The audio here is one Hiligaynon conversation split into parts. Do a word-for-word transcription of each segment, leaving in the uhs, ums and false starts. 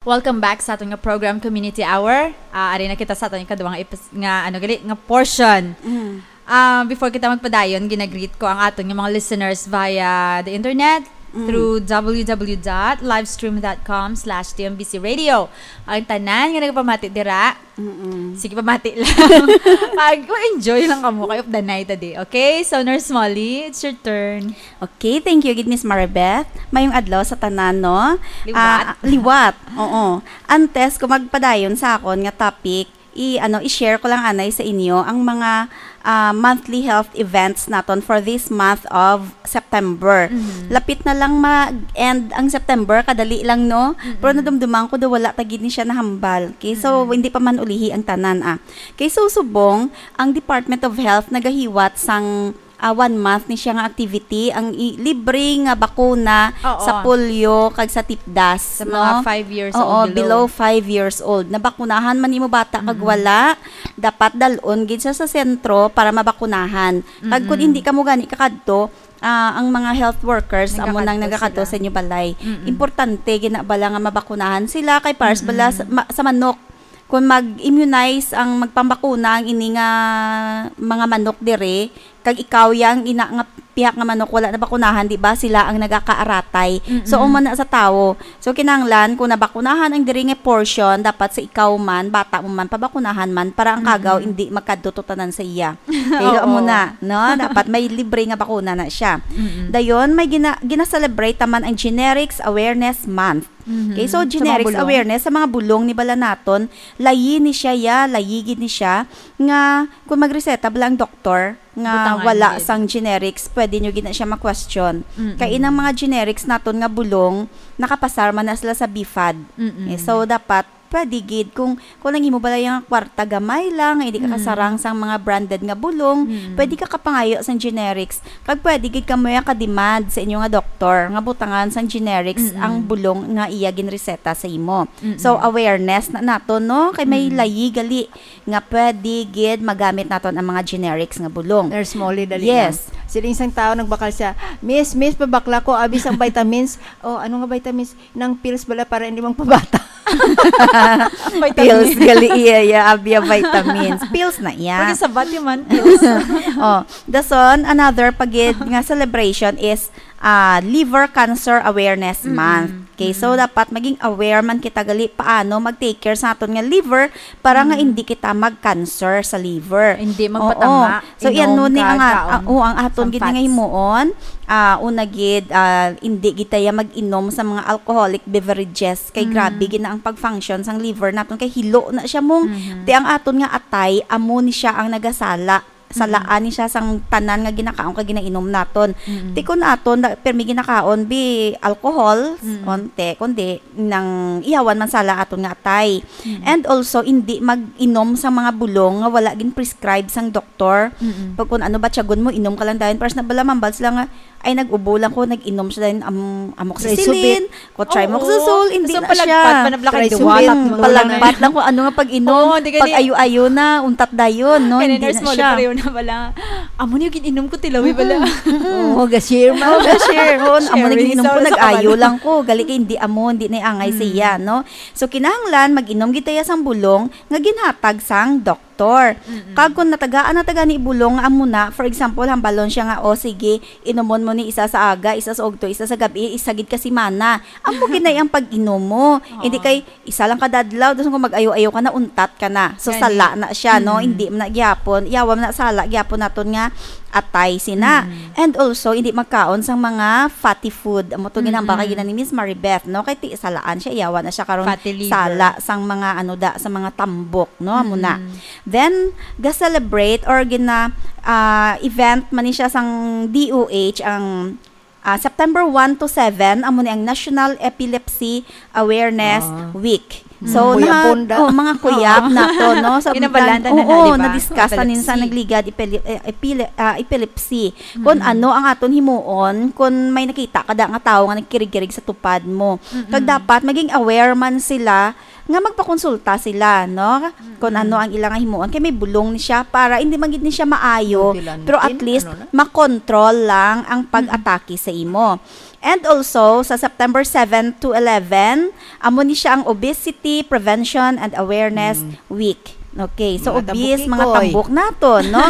Welcome back sa aton nga program, Community Hour. Ah, ari na kita sa aton ikaduha nga epis-, nga, ano gali, nga portion. Mm. Ah, before kita magpadayon, ginagreet ko ang aton nga mga listeners via the internet Mm. through w w w dot livestream dot com slash t m b c radio. Ang tanan nga nagapamati dira, Mm-mm. sige, pamati lang. Mag-enjoy lang kamo kay updanay ta di. Okay? So, Nurse Molly, it's your turn. Okay, thank you gid, Miss Maribeth. Mayong adlaw sa tanan, no? Liwat. Ah, liwat. Oo. Antes ko magpadayon sa akon nga topic, i-, ano, i-share ko lang anay sa inyo ang mga, ah, monthly health events naton for this month of September. Mhm. Lapit na lang mag-end ang September, kadali lang, no? Mm-mm. Pero nadumduman ko daw wala ta gid ni siya nahambal. Okay, so, Mm-mm. hindi pa man ulihi ang tanan, ah. Okay, so, subong, ang Department of Health nagahiwat sang ah, one month ni siya nga activity, ang i-, libre nga bakuna Oo. sa polio kag sa tipdas, Sa no? mga five years Oo, old below. below five years old. Nabakunahan man imo bata kag Mm-mm. wala, dapat dal-on gid siya sa sentro para mabakunahan. Kag kung Mm-mm. hindi kamo gani kakadto, ah, ang mga health workers amo nang Nagakadto nagakadto sila. sa inyo balay. Mm-mm. Importante gid na bala nga mabakunahan sila kay pares bala Mm-mm. sa, ma-, sa manok. Kung mag-immunize ang magpambakuna ang ini nga mga manok diri, kag ikaw yang ina nga pihak nga manok wala nabakunahan, di ba? Sila ang nagakaaratay. Mm-mm. So, umana sa tawo. So, kinahanglan kung nabakunahan ang diri nga portion, dapat sa ikaw man, bata mo man, pabakunahan man para ang kagaw Mm-mm. hindi magkadto tanan sa iya. Pero Oo. amo na, no? Dapat may libre nga bakuna na siya. Mm-mm. Dayon, may gina-, gina-celebrate naman ang Generics Awareness Month. Mhm. Okay, so Sa mga generics bulong? awareness sa mga bulong ni bala naton, layi ni siya, ya, layi gid ni siya, nga kung magreseta bala ang doktor nga Butangan wala gid. sang generics, pwede nyo gid na siya ma-question. Mm-mm. Kay inang mga generics naton nga bulong, nakapasar man na sila sa B fad. Mm-mm. Okay, so dapat pwede gid kung, kung ang imo bala yung kwarta gamay lang, hindi ka Mm. kasarang sang mga branded nga bulong, Mm. pwede ka kapangayo sang generics. Kag pwede gid kamo yung kademand sa inyo nga doktor nga butangan sang generics Mm-mm. ang bulong nga iya ginreseta sa imo. Mm-mm. So, awareness na nato, no? Kay may Mm. layi gali nga pwede gid magamit naton ang mga generics nga bulong. Nurse Molly, dali Yes. lang. Siling sang tao, nagbakal siya, "Miss, miss, pabakla ko, abi sang vitamins." "Oh, ano nga vitamins?" "Nang pills bala para hindi magpabata." Vitamin. Pills, gali iya, iya, abya vitamins. Pills na iya. Pwede sa bati man, pills. Oh, dason, another pa gid nga celebration is, ah, Liver Cancer Awareness Mm-mm. Month. Okay, so Mm-mm. dapat maging aware man kita gali paano mag-take care sa aton nga liver para nga Mm-mm. hindi kita mag-cancer sa liver. Hindi Oo. magpatama. So, iyan Inom no ni ka, ang, kaon ah, oh, ang aton sang gid nga fats. himuon, ah, una gid, ah, hindi gid taya mag-inom sa mga alcoholic beverages. Kay Mm. grabe gid na ang pag-function sang liver naton. Kay hilo na siya mong, Mhm. ti ang aton nga atay, amo ni siya ang nagasala. Salaan Mhm. ni siya sang tanan nga ginakaon kag ginainom naton. Mhm. Ti kun aton, da-, pirmi ginakaon, bi, alcohol, Mhm. onte, kundi nang iyawan man sala aton nga atay. Mm. And also, hindi mag-inom sa mga bulong nga wala gin-prescribe sang doktor. Mm-mm. Pag kung ano ba, tiyagon mo, inom ka lang dayon. Pero sa nabala, mambal sila nga, "Ay, nag-ubo lang ko, nag-inom siya dayon, am-, amoxicillin, Trisubit. ko trimethoprim, Oo. hindi So, na palagpat siya." pa na bala kay Trisubit. diwata, Mm, mo lang palagpat na. lang kung ano nga pag-inom. Oo, di ka di- Pag ayo-ayo na, untat dayon, no? Kaya Hindi nurse na mo, siya. pareho na bala. Amo niyo, gin-inom ko, tilawi bala. Mm-mm. Oo, ga-share, ma'am. Oo, ga-share. Oo, amo na Sharing. gin-inom ko, Sa nag-ayo kabalong. lang ko. Gali kay hindi amo, hindi na angay Mm. siya, no? So, kinahanglan, mag-inom gid taya sang bulong nga ginhatag sang doktor. Mm-mm. Kag kung natagaan na ta gani bulong nga amo na, for example, hambalon siya nga, "O, sige, inumon mo ni isa sa aga, isa sa ugto, isa sa gabi, isa gid ka simana." Amo gid na ang pag-inom mo. Oo. Hindi kay isa lang kada adlaw, tapos kung mag-ayo-ayo ka na, untat ka na. So, Gani. sala na siya, no? Mm. Hindi man na gyapon. Yawa man na sala gyapon naton nga atay sina. Mm. And also, hindi magkaon sang mga fatty food. Amo to ginambal kay Mm-mm. gina ni Miss Maribeth, no? Kay ti salaan siya, yawa na siya karon Fatty liver. sala sang mga ano da, sa mga tambok, no? Amo na. Mm-mm. Then, ga-celebrate or gina, ah, event man ni siya sang D O H ang, ah, September one to seven, amo ni ang National Epilepsy Awareness Ah. Week. So, Mm. Kuyab na, bunda. oh, mga kuyab Oo. na to, no? Sa Kinabalan ta na, oo, di ba? na-discuss na ninyo sa Epilepsy. nagligad, epile-, eh, epile-, ah, epilepsy. Kung Mm. ano ang aton himuon, kung may nakita ka da nga tawo nga nagkirig-kirig sa tupad mo. Mm-mm. Kag dapat maging aware man sila nga magpakonsulta sila, no? Kung ano ang ilang himuon. Kay may bulong ni siya para hindi man gid ni siya maayo, pero at least makontrol lang ang pag-atake sa imo. And also, sa September seven to eleven, amo ni siya ang Obesity Prevention and Awareness Week. Okay, so obese, mga tambukikoy. Mga tambok nato, no?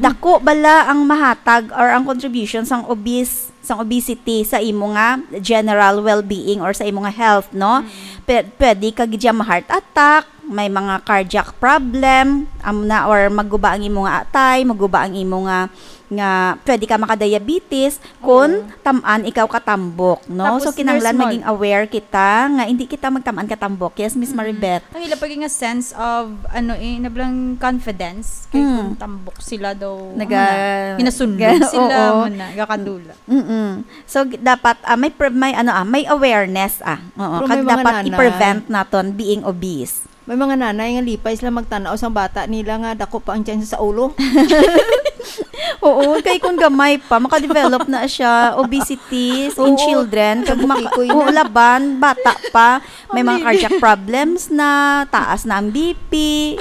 Dako bala ang mahatag or ang contribution sang obese, sang obesity sa imo nga general well-being or sa imo nga health, no? Pwe-, pwede ka gid siya ma-heart attack, may mga cardiac problem, amo na, or maguba ang imo nga atay, maguba ang imo nga, nga pwede ka makadiabetes kung tam-an ikaw katambok, no? Tapos, so, kinahanglan Nurse Mar- maging aware kita nga hindi kita magtam-an katambok. Yes, Miss Maribeth? Ang ila pag nga sense of, ano eh, nablang confidence kay kung tambok sila daw, naga-, ano na, hinasunod ga-, sila, oo. Mo na, gakadula. Mm-mm. So, g-, dapat, ah, may pre-, may, ano, ah, may awareness, ah. Oo, pero kag may mga dapat nanay i-prevent naton being obese. May mga nanay nga lipay sila magtan-aw sang bata nila nga dako pa ang tiyan sa ulo. Oo, kay kung gamay pa, makadevelop na siya, obesity in children, kag maka-, oo, laban, bata pa, may mga cardiac problems na, taas na ang B P,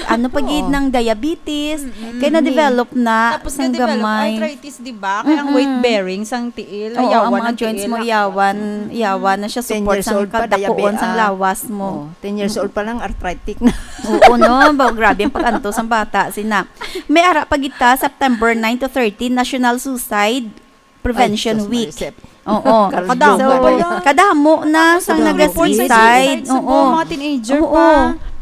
ano pa gid, nang diabetes, kay na-develop na sang gamay. Tapos na-develop arthritis, di ba? Kaya ang weight bearing sang tiil, oo, ang mga joints mo, yawan, yawan na siya support sang kadakuon sang lawas mo. Ten years old pa lang, arthritic na. Oo, no? Ba, grabe ang pag-antos ang bata, sina. May ara pa kita, September nine to thirteen, National Suicide Prevention Week. Ay, sus, Marisep. Oo. Kadamo pala. Kadamo na sang nag-suicide. Kadamo. Reports sa suicide sa mga teenager pa. Oo.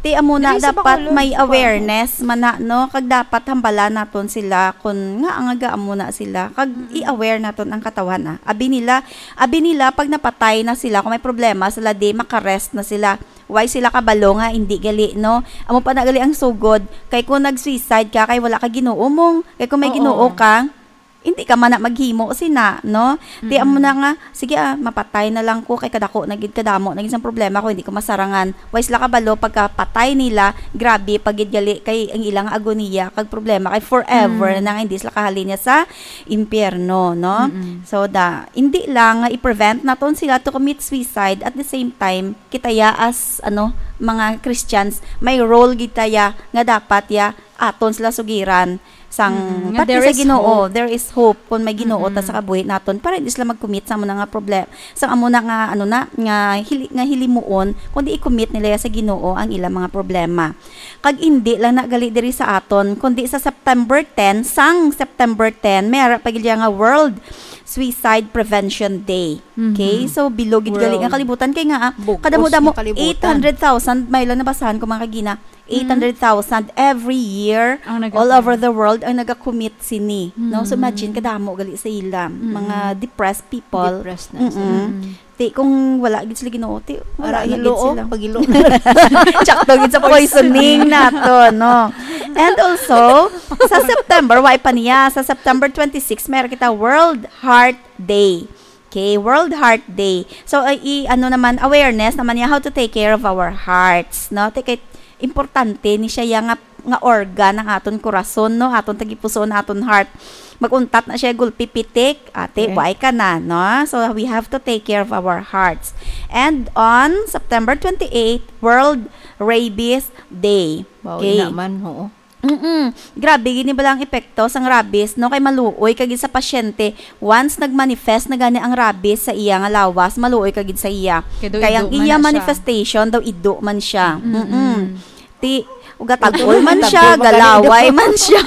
Ti amo na, dapat may awareness man na, no? Kag dapat hambala naton sila kung nga ang aga amo na sila. Kag i-aware naton ang katawhan, ah. Abi nila, abi nila pag napatay na sila, kung may problema sila, di makarest na sila. Why sila kabalo nga hindi gali, no? Amo pa na gali ang sugod. Kay kung nag-suicide ka, kay wala ka Ginoo mong, kay kung may Ginoo ka, hindi ka man na maghimo sina, no? Ti amo na nga, sige, ah, mapatay na lang ko, kay kadako na gid, kadamo na gid sang problema ko, hindi ko masarangan. Why sila kabalo pagkapatay nila, grabe pa gid gali kay ang ilang agoniya kag problema kay forever na nga hindi sila kahalin niya sa impyerno, no? So, da, hindi lang nga i-prevent naton sila to commit suicide, at the same time, kita ya as, ano, mga Christians, may role gid ta ya nga dapat ya aton sila sugiran sang pati sa Ginoo. There is hope kung may Ginoo ta sa kabuhi naton, para hindi sila mag-commit sa amo na nga problem, sang amo na nga, ano na, nga hili-, nga hilimuon, kundi i-commit nila ya sa Ginoo ang ilang mga problema. Kag indi lang na gali diri sa aton, kundi sa September ten, sang September ten, may ara pa gid ya nga World Suicide Prevention Day. Okay? So, bilog gid gali nga kalibutan kay nga, ah, kadamo-damo, eight hundred thousand, may lang nabasahan ko, mga kagina, eight hundred thousand every year, all over the world, ang nagakommit sini, no? So, imagine, kadamo gali sa ila, mga depressed people. Depressed na sila. Ti, kung wala gid sila Ginoo, ti, wala na gid sila. Pagilo. Tsakto gid sa poisoning nato, no? And also, sa September, wa pa niya, sa September twenty-six, meron kita World Heart Day. Okay, World Heart Day. So, ay, i-, ano naman, awareness naman niya how to take care of our hearts, no? Ti kay importante ni siya ya nga, nga organ ang aton korason, no? Aton tagipusoon, aton heart. Mag-untat na siya, gulpi pitik, ate, okay, buhay ka na, no? So, we have to take care of our hearts. And on September twenty-eight, World Rabies Day. Wow, okay, ina man, oo. Mm-mm. Grabe gid ni bala ang epekto sang rabies, no? Kay maluoy ka gid sa pasyente. Once nag-manifest na gani ang rabies sa iya nga lawas, maluoy ka gid sa iya. Kay daw ido man na siya. Kay ang iya manifestation daw ido man siya. Mm-mm. Mm-mm. Ti, ugatagol man siya, ugatagol, galaway man siya.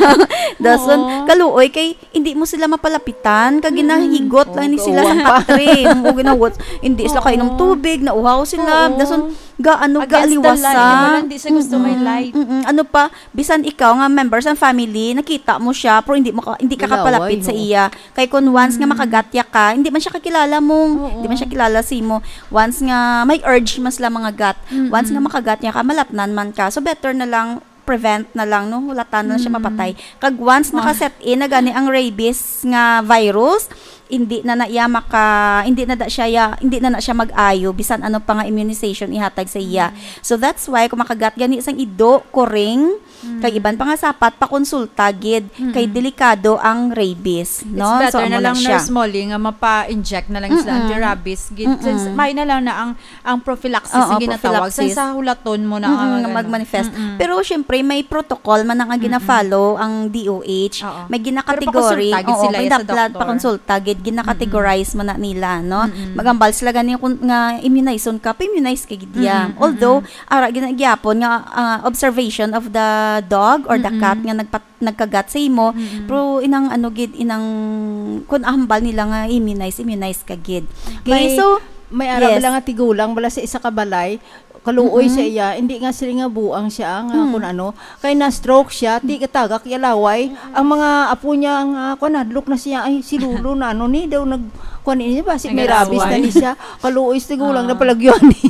Dason, oo, kaluoy kay hindi mo sila mapalapitan, kag ginahigot lang ni sila sa patre. Oo, ginawat. Hindi sila kainom tubig, nauhaw sila. Oo. Dason, ga-, ano, gaaliwasan. Against the light, di ba? Hindi siya gusto may light. Mm-mm. Ano pa, bisan ikaw nga member sa family, nakita mo siya, pero hindi mo ka, hindi ka kapalapit sa iya. Kay kung once nga makagat ya ka, hindi man siya kakilala mo, hindi man siya kilala sa imo. Once nga may urge man sila mangagat, once nga makagat ya ka, malatnan man ka. So, better na lang prevent na lang, no? Hulatan na lang siya mapatay. Kag once naka-set in na gani ang rabies nga virus, hindi na na iya maka hindi na da siya ya, hindi na na siya mag-ayo bisan ano pa nga immunization ihatag sa iya. So that's why kung makagat gani sang ido, kuring, kag iban pa nga sapat, pakonsulta gid kay delikado ang rabies, no? So amo na lang, siya. Nurse Molly, nga mapa-inject na lang sila anti-rabies gid. Since may na lang na ang ang prophylaxis. Oo, ang ginatawag sa, prophylaxis. Sa hulaton mo na, mm-mm, nga nga ano, magmanifest. Mm-mm. Pero syempre, may protocol man ang, ang gina-follow ang D O H. Oo. May gina-category. Pero pakonsulta gid sila sa doktor. Oo, may dapat pakonsulta gid, gina-categorize man na nila, no? Mm-mm. Maghambal sila gani kung nga immunization ka, pa-immunize ka gid iya. Mm-mm, mm-mm. Although, ara gina-, gyapon nga, ah, observation of the dog or the cat nga nagpat-, nagkagat sa imo, pero inang ano gid, inang kun hambal nila nga immunize, immunize ka gid. Okay, so, may ara bala nga tigulang bala sa isa ka balay, kaluoy sa iya, hindi nga sila nga buang siya, nga kun ano, kay na-stroke siya, ti katagak iya laway, ang mga apo niya nga, kun, hadlok na siya, "Ay, si Lolo na ano ni, daw nag-, kun ini ba, si may rabies na ni siya." Kaluoy sa tigulang na palagyuan ni.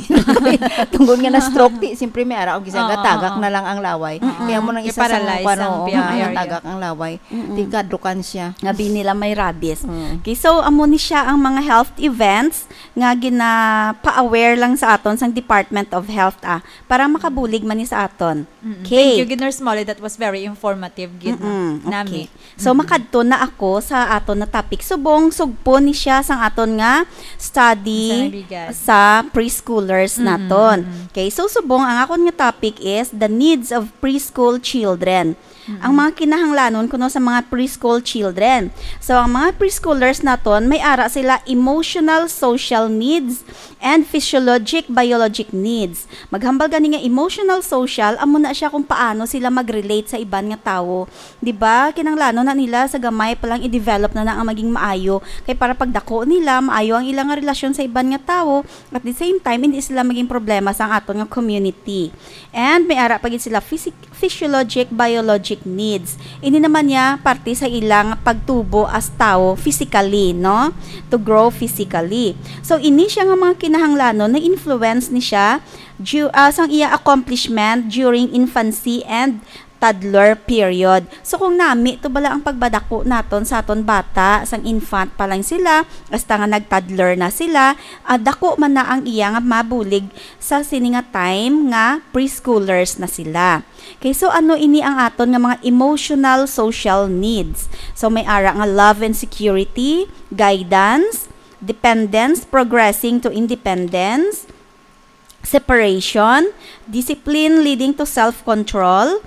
Tungod nga na-stroke, ti, siyempre may ara, ang gisang katagak na lang ang laway. Kaya mo nang isa sa mga, kun ano, ang area. Natagak ang laway. Mm-mm. Ti kadlukan siya. Nga bini nila may rabies. Mm. Okay, so amo ni siya ang mga health events nga ginapa-aware lang sa aton sang Department of Health, ah, para makabulig man ni sa aton. Mm-mm. Okay. Thank you gid, Nurse Molly. That was very informative gid, no? Mm-mm. Nami. Okay. So, makadto na ako sa aton na topic subong. Sugpo ni siya sang aton nga study sa preschoolers naton. Mm-mm. Okay, so subong ang akon nga topic is the needs of preschool children. Ang mga kinahanglanon kuno sa mga preschool children. So, ang mga preschoolers naton, may ara sila emotional, social needs, and physiologic, biologic needs. Maghambal gani nga emotional, social, amo na siya kung paano sila mag-relate sa iban nga tawo. Di ba? Kinahanglanon na nila sa gamay pa lang i-develop na na ang maging maayo. Kay para pagdako nila, maayo ang ilang nga relasyon sa iban nga tawo. At the same time, hindi sila maging problema sa aton nga community. And may ara pa gid sila physic-, physiologic, biologic needs. Ini naman niya parte sa ilang pagtubo as tawo physically, no? To grow physically. So, ini siya nga mga kinahanglanon, na-influence ni siya ju-, ah, sang iya accomplishment during infancy and toddler period. So, kung nami to bala ang pagbadako naton sa aton bata, sang infant pa lang sila, hasta nga nag-toddler na sila, ah, dako man na ang iya nga mabulig sa sini nga time nga preschoolers na sila. Okay, so ano ini ang aton nga mga emotional social needs? So, may ara nga love and security, guidance, dependence, progressing to independence, separation, discipline leading to self-control,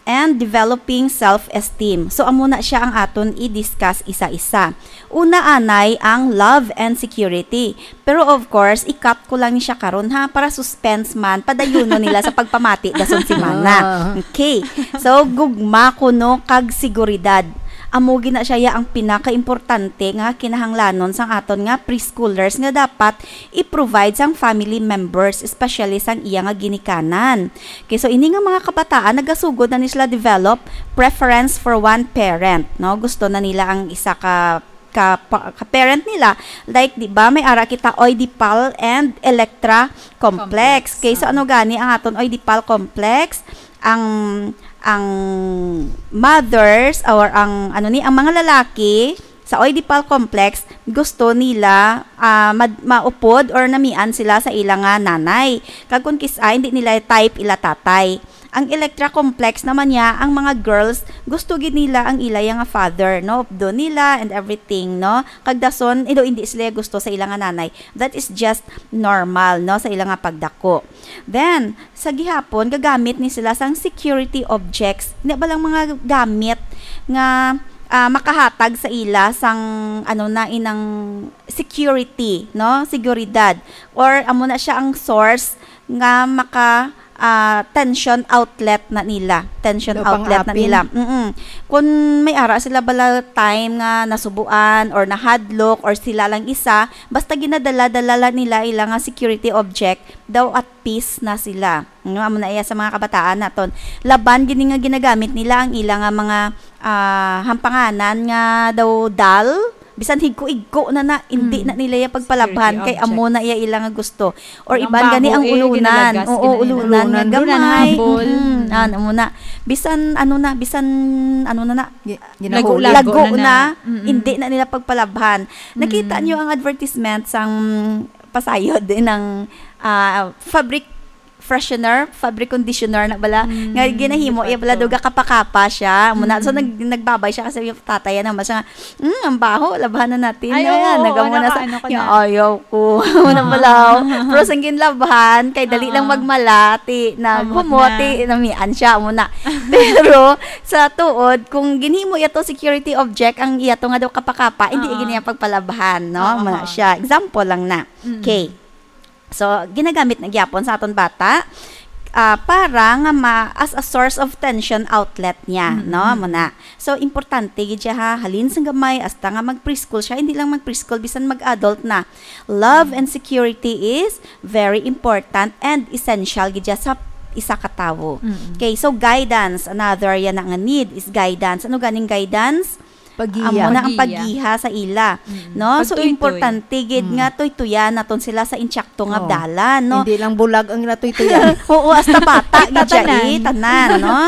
and developing self-esteem. So, amo na siya ang aton i-discuss isa-isa. Una anay ang love and security. Pero of course, i-cut ko lang ni siya karon ha, para suspense man, padayunon nila sa pagpamati dason semana. Ah. Okay. So, gugma kuno kag seguridad. Amo gina siya ya ang pinakaimportante nga kinahanglanon sang aton nga preschoolers nga dapat i-provide sang family members, especially sang iya nga ginikanan. Okay, so ini nga mga kabataan nagasugod na ni sila develop preference for one parent, no? Gusto na nila ang isa ka ka, pa, ka parent nila. Like, di ba, may ara kita Oedipal and Electra complex. Complex. Okay, so ah. Ano gani ang aton Oedipal complex? Ang ang mothers or ang ano ni, ang mga lalaki sa Oedipal complex, gusto nila, ah, mad-, maupod or namian sila sa ila nga nanay. Kag kung kis-, ah, hindi nila type ila tatay. Ang Electra complex naman niya, ang mga girls, gusto gid nila ang ila nga father, no? Updo nila and everything, no? Kag dason, ido hindi sila gusto sa ila nga nanay. That is just normal, no? Sa ila nga pagdako. Then, sa gihapon, gagamit ni sila sang security objects. Hindi ba lang mga gamit nga, ah, makahatag sa ila sang, ano na, inang security, no? Seguridad. Or, amo na siya ang source nga maka, ah, tension outlet na nila. Tension outlet na nila. Mm-mm. Kung may ara sila bala time nga nasubuan or nahadlok or sila lang isa, basta ginadala-dala lang nila ila nga security object, daw at peace na sila. Nga amo na iya sa mga kabataan naton. Laban gini nga ginagamit nila ang ila nga mga, ah, hampanganan nga daw doll, bisan higko-igko na na, hindi Mm. na nila iya pagpalabhan, Security kay amo na objects. iya ila nga gusto. Or Ang iban gani baho, ang eh, ulunan. ginalagas, Oo, ginalagas. ulunan nga Ulunan, gamay. ulunan, habol. Mm, Mm. ano mo na. Bisan, ano na, bisan, ano na na, Gi-, Lago-lago lago na na. na, Mm-mm. hindi na nila pagpalabhan. Nakita Mm. niyo ang advertisement sang pasayod din ng, ah, fabric freshener, fabric conditioner na bala, Mm, nga ginahimo, iya bala, delikado. daw gakapa-kapa siya. Amo na, so, Mm. nag-, nagbabay siya kasi yung tatay, ano, mas siya nga, "Mm, ang baho, labhan na natin." Ay, Ayan, oo, nagamo oo, na sa, naka-, ano ka "Ya, na. ayaw ko." Amo na Oo. pala, oh. Pero sang ginlabhan, kay dali lang Oo. magmala, ti, Amo naghumot, na. ti, namian siya, amo na. Pero, sa tuod, kung ginhimo iya to security object, ang iya to nga daw kapa-kapa, hindi Oo. gini ang pagpalabhan, no? Oo, Amo na oo. siya. Example lang na. Mm. Okay. So, ginagamit na gyapon sa aton bata, ah, para nga ma-, as a source of tension outlet niya, Mm-mm. no? Amo na. So, importante gid siya, ha, halin sang gamay hasta nga mag-preschool siya, hindi lang mag-preschool, bisan mag-adult na. Love Mm. and security is very important and essential gid siya sa isa ka tawo. Mm-mm. Okay, so guidance, another yan na nga need is guidance. Ano ganing guidance? Paggiya. Amo na ang Paggiya. paggiha sa ila, Mm. no? So, Pagtuytoy. importante gid Mm. nga tuytuyan naton sila sa intsakto nga Oh. dalan, no? Hindi lang bulag ang natuytuyan. Oo, hasta bata gid siya, Tanan. eh, tanan, no?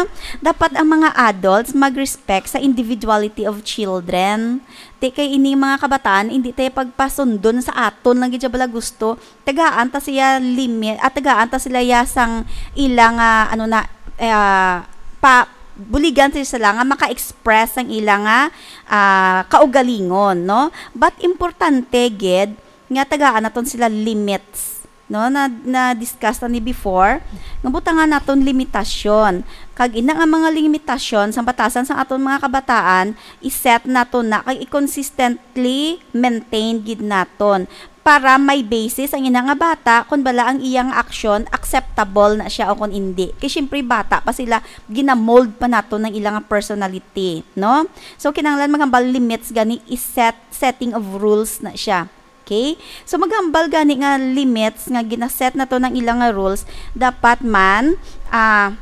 Dapat ang mga adults mag-respect sa individuality of children. Ti kay ini mga kabataan, hindi tayo pagpasundon sa aton lang gid siya bala gusto. Tagaan ta siya limit, at tagaan ta sila ya sang ila nga, ano na, eh, pa, buligan sila nga maka-express ang ila nga, ah, kaugalingon, no? But importante gid nga tagaan naton sila limits, no? Na, na-discuss na ni before, nga butangan naton limitasyon. Kag ina nga mga limitasyon sa batasan sa aton mga kabataan, i-set naton na kag i-consistently maintain gid naton para may basis ang ina nga bata kung bala ang iya nga aksyon acceptable na siya o kung hindi. Kay siyempre bata pa sila, ginamold pa naton ang ila nga personality, no? So, kinahanglan maghambal limits gani, i-set, setting of rules na siya. Okay? So, maghambal gani nga limits nga ginaset nato ng ila nga rules, dapat man, ah,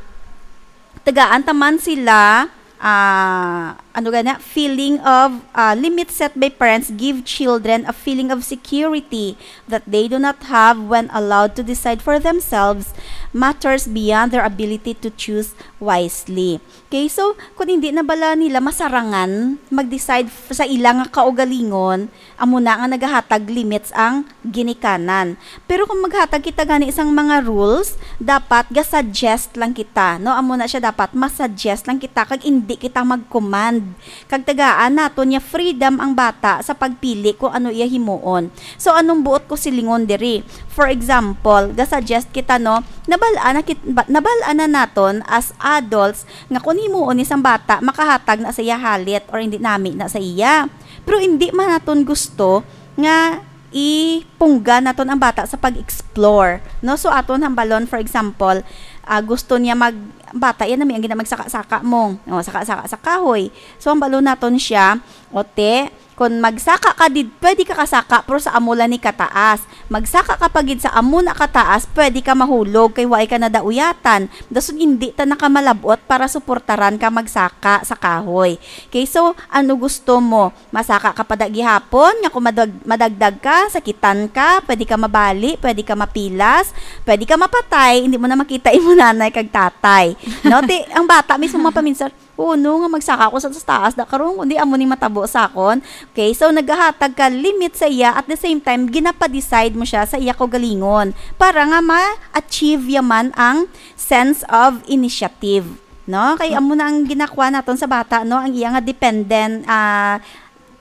tagaan ta man sila, ah, ano gani, feeling of, ah, limits set by parents give children a feeling of security that they do not have when allowed to decide for themselves matters beyond their ability to choose wisely. Okay, so, kung hindi na bala nila masarangan mag-decide f-, sa ila nga kaugalingon, amo na nga nagahatag limits ang ginikanan. Pero kung maghatag kita gani sang mga rules, dapat ga-suggest lang kita, no? Amo na siya, dapat ma-suggest lang kita kag indi kita mag-command. Kag tagaan naton niya freedom ang bata sa pagpili kung ano iya himuon. So, anong buot ko silingon diri? For example, ga-suggest kita, no? Nabal-an na kit-, ba-, nabal-an na naton as adults nga kung himuon ni sang bata, makahatag na sa iya halit or hindi nami na sa iya. Pero hindi man naton gusto nga ipunggan naton ang bata sa pag-explore, no? So, aton hambalon, for example, ah, gusto niya mag-, bata, yan na may ang gina-, magsaka-saka mo. O, saka-saka sa kahoy. So, hambalon naton siya, o, te, kung magsaka ka did-, pwede ka kasaka, pero sa amo lang ni kataas. Magsaka ka pa gid sa amo na kataas, pwede ka mahulog, kay waay ka nadauyatan. Dason hindi ta nakamalabot para suportaran ka magsaka sa kahoy. Okay, so, ano gusto mo? Masaka ka pa da gihapon, nga kung madag-, madagdag ka, sakitan ka, pwede ka mabali, pwede ka mapilas, pwede ka mapatay, hindi mo na makita imo nanay kag tatay. No? Ti, ang bata mismo mapaminsan, "Oo, no, nga magsaka ko sa, sa taas da karon, kundi amo ning matabo sa akon." Okay, so nagahatag ka limit sa iya, at the same time, ginapa-decide mo siya sa iya kaugalingon para nga ma-achieve yaman ang sense of initiative. No? Kay amo na ang ginakuha naton sa bata, no? Ang iya nga dependent, ah,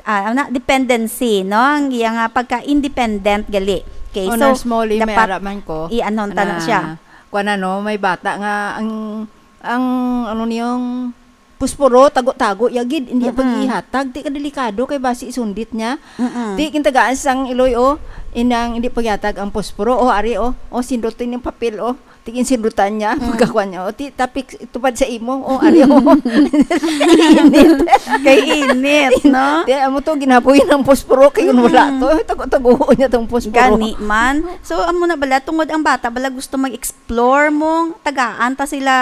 ah, ano na, dependency, no? Ang iya nga pagka-independent gali. Okay, so, Honor Smalley, may dapat ara man ko i-, ano, ta na na, siya. Kuwan na, no? May bata nga ang, ang, ano niyong puspuro, tago-tago, yagid, hindi Mm-mm. pag-ihatag, di ka delikado kay basi isundit niya. Mm-mm. Di kintagaan sang iloy, oh, inang hindi pagyatag ang puspuro, oh, ari, oh, oh, sindutin yung papel, oh. Tigin sindutan niya, Mm. pagkakuan niya. O, ti-, tapik, tupad sa imo. O, ari, o. Init. Kay init, no? Ti, amo to, ginapoy ng posporo. Kay kung wala Mm. to, tago-tago niya tong posporo. Gani man. So, amo na bala, tungod ang bata bala gusto mag-explore mo, tagaan ta sila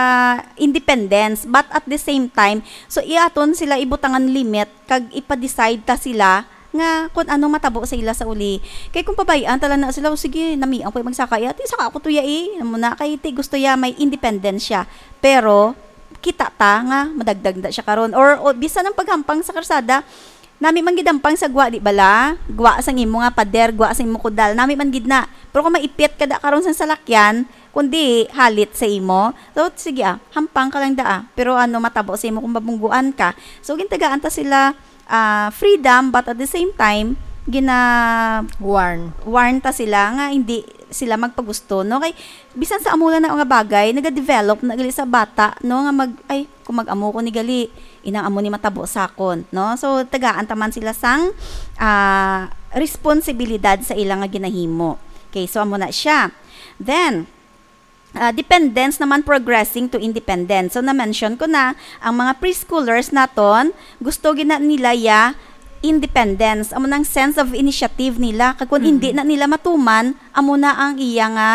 independence. But at the same time, so, iaton sila ibutangan limit, kag ipa-decide ta sila nga kung anong matabo sa ila sa uli. Kay kung pabay-an ta lang na sila, "O, sige, namian ko yung magsaka, ya, ti saka ako to, ya, eh." Amo na, kay ti gusto ya may independence siya. Pero, kita ta nga madagdag na siya karon. Or, o, bisan ang paghampang sa karsada, nami man gid hampang sa gwa, di bala? Gwa sang imo nga pader, gwa sang imo kudal, nami man gid na. Pero kung maipit ka da karon sa salakyan, kundi halit sa imo, so, sige, ah, hampang ka lang da, ah. Pero ano, matabo sa imo kung mabungguan ka. So, gintagaan ta sila, ah, freedom, but at the same time, gina- Warn. warn ta sila nga hindi sila magpagusto, no? Kay, bisan sa amo lang na nga bagay, nagadevelop na gali sa bata, no? Nga mag, "Ay, kung mag-amo ko ni gali, inang amo ni matabo sa akon," no? So, tagaan ta man sila sang, ah, responsibilidad sa ila nga ginahimo. Okay, so amo na siya. Then, ah, dependence naman progressing to independence. So, na-mention ko na, ang mga preschoolers naton, gusto gina nila ya independence. Amo nang sense of initiative nila. Kag kung Mm. hindi na nila matuman, amo na ang iya nga,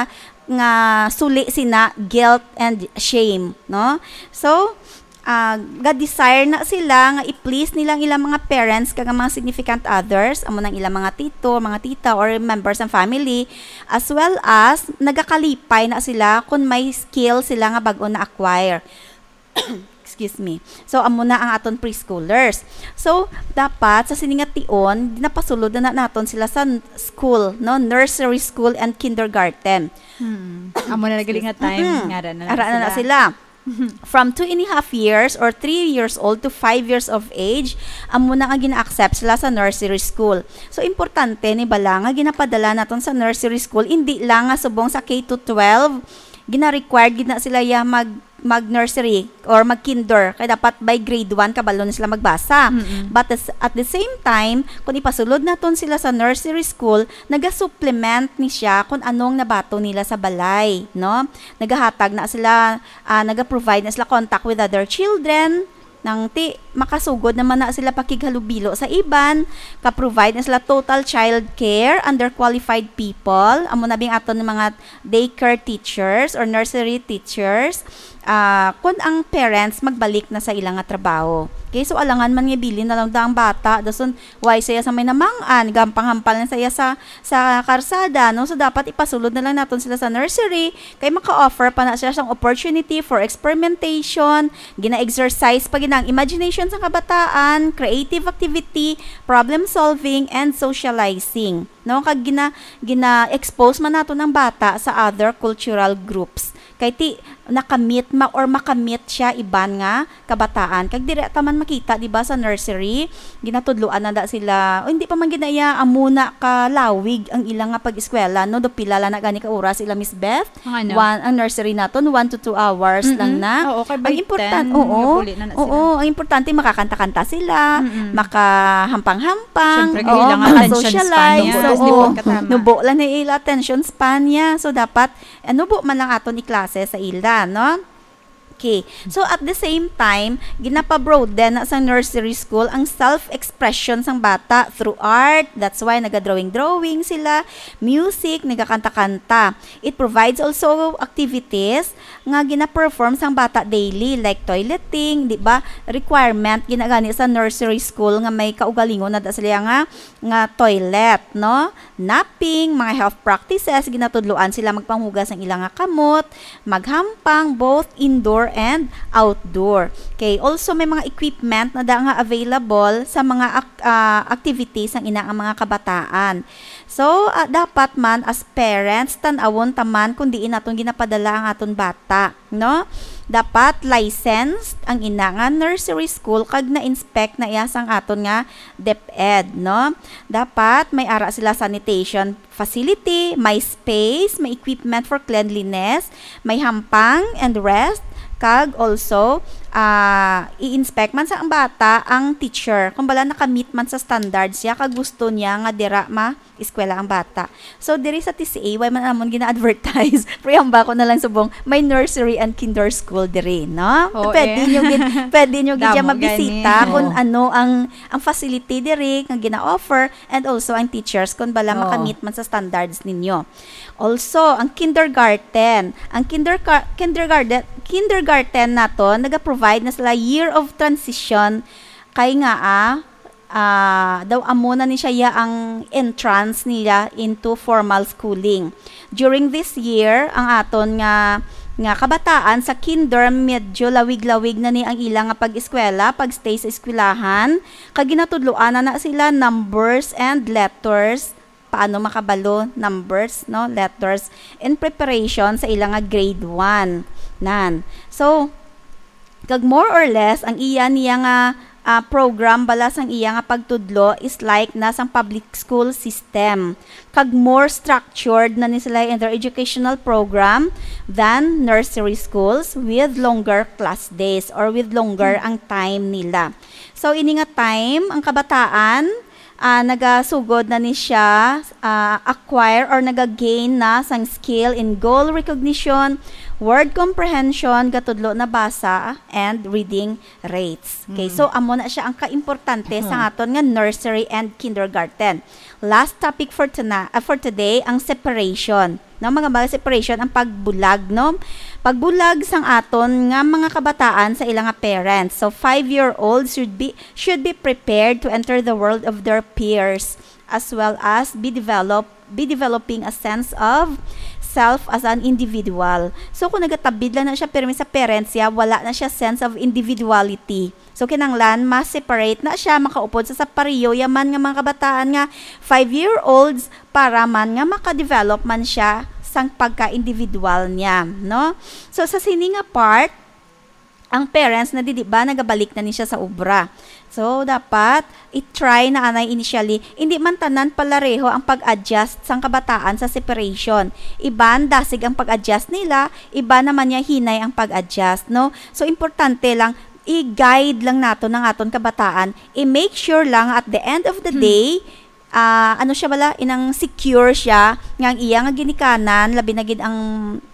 nga suli sina guilt and shame, no? So, ah, ga-desire na sila nga i-please nila ang ilang mga parents kag ang mga significant others, amo nang ilang mga tito, mga tita, or members ng family, as well as nagakalipay na sila kung may skill sila nga bag-o na-acquire. Excuse me. So, amo na ang aton preschoolers. So, dapat sa sini nga tion, napasulod na, na naton sila sa n-, school, no? Nursery school and kindergarten. Hmm. Amo na nagali nga time, Mm-mm. nga ara na, Ara na, na sila. sila. From two and a half years or three years old to five years of age, amo na nga gina-accept sila sa nursery school. So, importante ni bala nga ginapadala naton sa nursery school, hindi lang nga subong sa K to twelve, gina-required gid na sila ya mag, mag-nursery or mag-kinder. Kay dapat by grade one, kabalo na sila magbasa. Mm-mm. But as, at the same time, kung ipasulod naton sila sa nursery school, nagasupplement ni siya kung anong nabato nila sa balay, no? Nagahatag na sila, ah, naga-provide na sila contact with other children, nang ti, makasugod naman na sila pakighalubilo sa iban, ka-provide na sila total child care under qualified people. Amo na bing aton mga daycare teachers or nursery teachers, ah, kun ang parents magbalik na sa ila nga trabaho. Okay, so alangan man nga bilin na lang da ang bata, dason why saya sa may namang-an, gampang-hampal na saya sa, sa karsada, no? So dapat ipasulod na lang naton sila sa nursery, kay maka-offer pa na siya sang opportunity for experimentation, gina-exercise pa gid ang imagination sa kabataan, creative activity, problem solving, and socializing. No, kag gina-, gina-expose man naton ang bata sa other cultural groups. Kay ti, nakamit ma-, or makamit siya iban nga kabataan. Kag diri ta man makita, di ba, sa nursery, ginatudloan na da sila. O, hindi pa man gid na iya amo na kalawig ang ilang nga pag-eskwela, no? Do pila lang na gani ka oras ila, Miss Beth? Ang ano? One, ang nursery naton, one to two hours Mm-mm. lang na. Oo, kay Ang by important, ten, oo. nabuli na na Oo, sila. Ang importante, makakanta-kanta sila, Mm-mm. makahampang-hampang, Siyempre, oo, kailangan attention span makasocialize, niya. Oo, oo. Nubo lang na ila attention span niya. So, dapat, eh, nubo man lang aton iklase sa ila, no? Okay. So, at the same time, ginapabroaden na sa nursery school ang self-expression sang bata through art. That's why naga-drawing-drawing sila, music, nagakanta-kanta. It provides also activities nga gina-perform sang bata daily, like toileting, di ba? Requirement, ginagani sa nursery school nga may kaugalingon na da sila nga, nga toilet, no? Napping, mga health practices, ginatudloan sila magpanghugas ang ilang nga kamot, maghampang, both indoor and outdoor. Okay, also may mga equipment na da nga available sa mga ak-, ah, activities ang ina nga mga kabataan. So, ah, dapat man as parents, tan-awon ta man kung diin naton ginapadala ang aton bata, no? Dapat licensed ang ina nga nursery school kag na-inspect na iya sang aton nga DepEd, no? Dapat may ara sila sanitation facility, may space, may equipment for cleanliness, may hampang and rest, kag also, ah, i-inspect man sa ang bata ang teacher kung bala nakamit man sa standards siya kag gusto niya nga dira ma-eskwela ang bata. So, diri sa T C A, wala man amon gina-advertise. Pero ihambal ko na lang subong, may nursery and kinder school diri, no? Oo, Pwede eh. nyo gid, pwede nyo gid Damo siya mabisita gani. kung Oo. ano ang, ang facility diri nga gina-offer and also ang teachers kung bala Oo. makamit man sa standards ninyo. Also, ang kindergarten. Ang kinderga-, kindergarten, kindergarten nato, naga-provide na sila year of transition kay nga, ah, ah, daw amo na ni siya ya ang entrance nila into formal schooling. During this year, ang aton nga, nga kabataan sa kinder, medyo lawig-lawig na ni ang ila nga pag-eskwela, pag-stay sa eskwelahan, kag ginatudloan na na sila numbers and letters, paano makabalo, numbers, no, letters, in preparation sa ila nga grade one. Nan. So, kag more or less, ang iya niya nga, ah, program bala sang iya nga pagtudlo is like na sang public school system. Kag more structured na ni sila in their educational program than nursery schools with longer class days or with longer ang time nila. So, ini nga time, ang kabataan, ah, nagasugod na ni siya, ah, acquire or naga-gain na sang skill in goal recognition, word comprehension, gatudlo na basa, and reading rates. Okay, Mm. so amo na siya ang kaimportante sa Mhm. aton nga nursery and kindergarten. Last topic for tonight, ah, for today, ang separation. No, mga, mga separation, ang pagbulag, no? Pagbulag sang aton nga mga kabataan sa ilang nga parents. So, five-year-olds should be should be prepared to enter the world of their peers, as well as be develop be developing a sense of self as an individual. So, kung nagatabid lang na siya pirmi sa parents niya, wala na siya sense of individuality. So, kinahanglan ma-separate na siya, makaupod sa, sa pareho yaman nga mga kabataan nga five-year-olds para man nga maka-develop man siya sang pagka-individual niya, no? So, sa sini nga part, ang parents na didi ba nagabalik na ni siya sa obra. So, dapat i-try na anay initially. Hindi man tanan palareho ang pag-adjust sang kabataan sa separation. Iban, dasig ang pag-adjust nila, iban naman niya hinay ang pag-adjust, no? So, importante lang, i-guide lang nato ang aton kabataan, i-make sure lang at the end of the Hmm. day, ah, ano siya bala, inang secure siya, nga ang iya nga ginikanan, labi na gid ang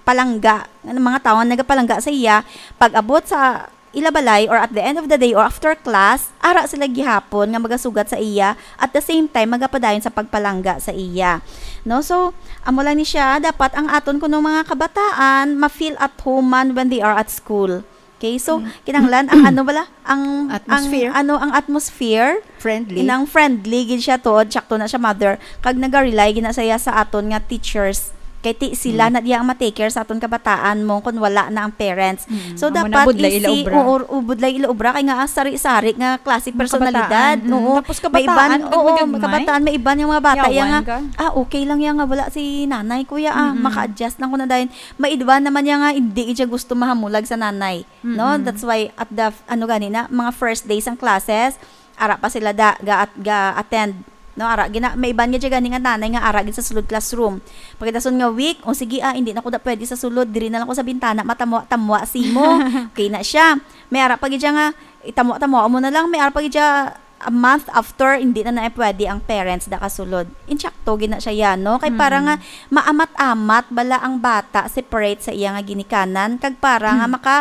palangga, ang mga tawo nga nagapalangga sa iya, pag-abot sa ila balay or at the end of the day or after class, ara sila gihapon nga magasugat sa iya, at the same time, magapadayon sa pagpalangga sa iya. No? So, amo lang ni siya, dapat ang aton kuno mga kabataan, ma-feel at home man when they are at school. Okay, so, Mm. kinahanglan ang ano bala, ang, Atmosphere. ang, ano, ang atmosphere, Friendly. Inang friendly gid siya tuod, sakto na siya, mother, kag naga-rely gid na siya sa aton nga teachers. Kay ti sila Mm. na diya ang ma-take care sa aton kabataan mo kung wala na ang parents. Mm. So, Amo na, dapat budlay ila easy, obra. Oo, o, budlay ila obra, kay nga, ah, sari-sari nga klase Mga personalidad. kabataan, mm. Oo. Tapos May kabataan, iban, oo, gagmay-gagmay. kabataan, may iban yung mga bata, Yawan yan nga, ka. "Ah, okay lang yan nga, wala si nanay, kuya, ah, Mm-mm. maka-adjust lang ko na dahil." May iban naman yan nga, hindi siya gusto mahamulag sa nanay. No? Mm-mm. That's why at the f-, ano gani na, mga first days ang classes, ara pa sila da, ga, ga-attend. No, ara gina, may iban nga dyan gani nga nanay nga ara gid sa sulod classroom. Pagkadason nga week, o sige, ah, hindi na ko da pwede sa sulod, diri na lang ko sa bintana, matamwa-tamwa si mo. Okay na siya. May ara pa gid dyan nga, itamwa-tamwa mo na lang, may ara pa gid dyan, a month after, hindi na na pwede ang parents da kasulod. Insakto gid na siya yan, no? Kay para Mm. nga maamat-amat bala ang bata separate sa iya nga ginikanan, kag para nga Mm. maka,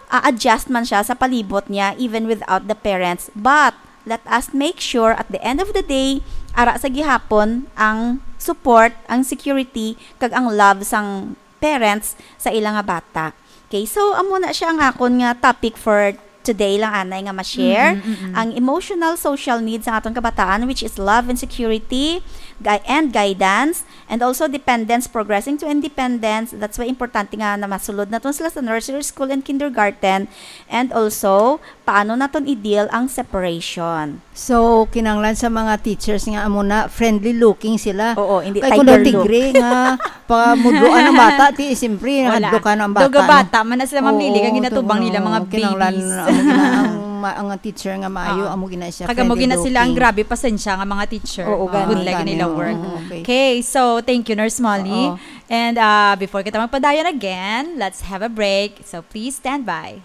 ah, adjust man siya sa palibot niya even without the parents. But let us make sure at the end of the day, ara sa gihapon ang support, ang security, kag ang love sang parents sa ila nga bata. Okay, so amo na siya ang akon nga topic for today lang, anay, nga ma-share. Mm-mm, mm-mm. Ang emotional social needs sa aton kabataan, which is love and security, gui-, and guidance, and also dependence progressing to independence. That's why importante nga na masulod naton sila sa nursery school and kindergarten. And also, paano naton i-deal ang separation? So, kinahanglan sa mga teachers nga amo na, friendly looking sila. Oo, hindi Kay kung tiger daw look. Tigre nga, pamudloan ang bata, ti, siyempre, Wala. Hadlokan ang bata, Duga no? Bata, man na sila mamili, Oo, kag ginatubang oo, nila mga kinahanglan, babies. Amo gina ang ma-, ang teacher nga maayo, Ah. amo gina siya, Kag amo friendly gina sila ang looking. Grabe, pasensya nga mga teacher. Oo, Ah, gani, good luck gani. Nila Oo, work. Oo, okay. Okay, so, thank you, Nurse Molly. Oo. And, ah, before kita magpadayon again, let's have a break. So, please stand by.